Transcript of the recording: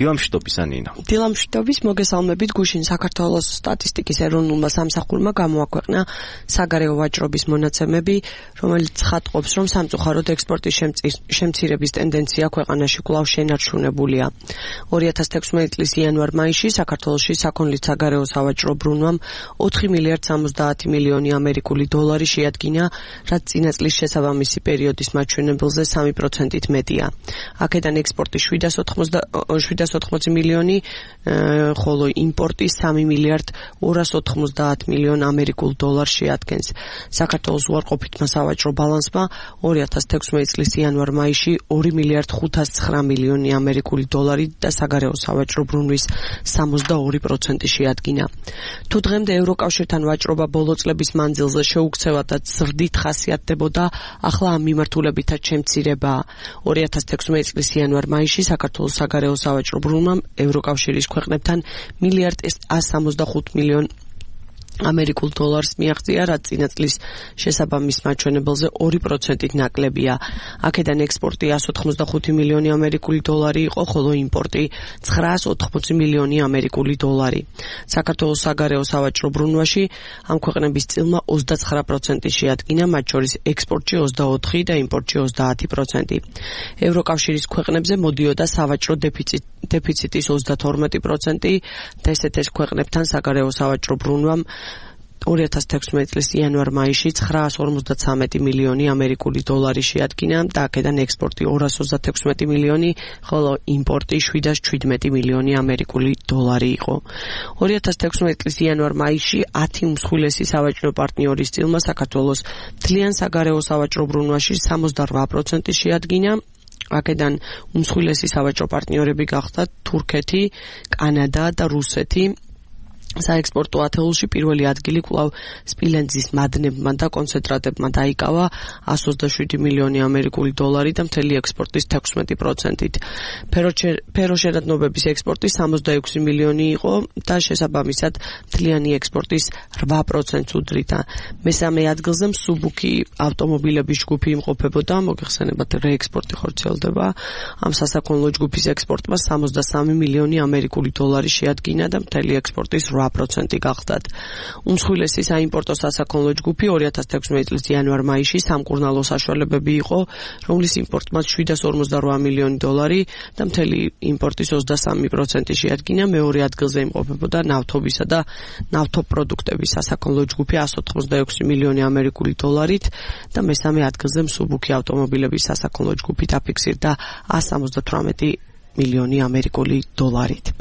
დილამშვიდობის ანინა. დილამშვიდობის, მოგესალმებით. გუშინ საქართველოს სტატისტიკის ეროვნულმა სამსახურმა გამოაქვეყნა საგარეო ვაჭრობის მონაცემები, რომელიც ხატყობს, რომ სამწუხაროდ ექსპორტის შემცირების ტენდენცია ქვეყანაში კვლავ შენარჩუნებულია. 2016 წლის იანვარ-მაისში საქართველოში საქონლის საგარეო სავაჭრო ბრუნვამ 4 მილიარდ 70 მილიონი ამერიკული დოლარი შეადგინა, რაც წინა წლის შესაბამისი პერიოდის მაჩვენებელზე 3%-ით მეტია. აქედან ექსპორტი 780 მილიონი, ხოლო იმპორტი 3 მილიარდ 290 მილიონ ამერიკულ დოლარს შეადგენს. საქართველოს უარყოფითმა სავაჭრო ბალანსმა 2016 წლის იანვარ-მაისში 2 მილიარდ 509 მილიონი ამერიკული დოლარი და საგარეო სავაჭრო ბრუნვის 62% შეადგინა. თუ დღემდე ევროკავშირთან ვაჭრობა ბოლო წლების მანძილზე შეუქცევად და ზრდით ხასიათდებოდა, ახლა ამ მიმართულებითაც შემცირებაა. 2016 წლის იანვარ-მაისში საქართველოს საგარეო სავაჭრო ბრუნვამ ევროკავშირის ქვეყნებთან მილიარდ 165 მილიონ ამერიკულ დოლარს მიაღწია, რაც წინა წლის შესაბამის მაჩვენებელზე 2%-ით ნაკლებია. აქედან ექსპორტი 185 მილიონი ამერიკული დოლარი იყო, ხოლო იმპორტი 980 მილიონი ამერიკული დოლარი. საქართველოს საგარეო სავაჭრო ბრუნვაში ამ ქვეყნების წილმა 29% შეადგინა, მათ შორის ექსპორტში 24 და იმპორტში 30%. ევროკავშირის ქვეყნებზე მოდიოდა სავაჭრო დეფიციტის 32% და ესეთ ქვეყნებთან საგარეო სავაჭრო ბრუნვამ 2016 წლის იანვარ-მაისში 953 მილიონი ამერიკული დოლარი შეადგინა და აქედან ექსპორტი 236 მილიონი, ხოლო იმპორტი 717 მილიონი ამერიკული დოლარი იყო. 2016 წლის იანვარ-მაისში 10 უმსხვილესი სავაჭრო პარტნიორის წილმა საქართველოს მთლიან საგარეო სავაჭრო ბრუნვაში 68% შეადგინა. აქედან უმსხვილესი სავაჭრო პარტნიორები გახდათ თურქეთი, კანადა და რუსეთი. საექსპორტო ათეულში პირველი ადგილი კვლავ სპილენძის მადნებმა და კონცენტრატებმა დაიკავა 127 მილიონი ამერიკული დოლარი და მთელი ექსპორტის 16%-ით. ფეროშენადნობების ექსპორტი 66 მილიონი იყო და შესაბამისად მთლიანი ექსპორტის 8%-ს უდრიდა. მესამე ადგილზე მსუბუქი ავტომობილების ჯგუფი იმყოფებოდა, მოგეხსენებათ რეექსპორტი ხორციელდება. ამ სასაქონლო ჯგუფის ექსპორტმა 63 მილიონი ამერიკული დოლარი შეადგინა და მთელი ექსპორტის 8% გახდათ. უმსხვილესი საიმპორტო სასაქონლო ჯგუფი 2016 წლის იანვარ-მაისში სამკურნალო საშუალებები იყო, რომლის იმპორტმა 758 მილიონი დოლარი და მთელი იმპორტის 23% შეადგინა. მეორე ადგილზე იმყოფებოდა ნავთობისა და ნავთობპროდუქტების სასაქონლო ჯგუფი 186 მილიონი ამერიკული დოლარით და მესამე ადგილზე მსუბუქი ავტომობილების სასაქონლო ჯგუფი დაფიქსირდა 178 მილიონი ამერიკული დოლარით.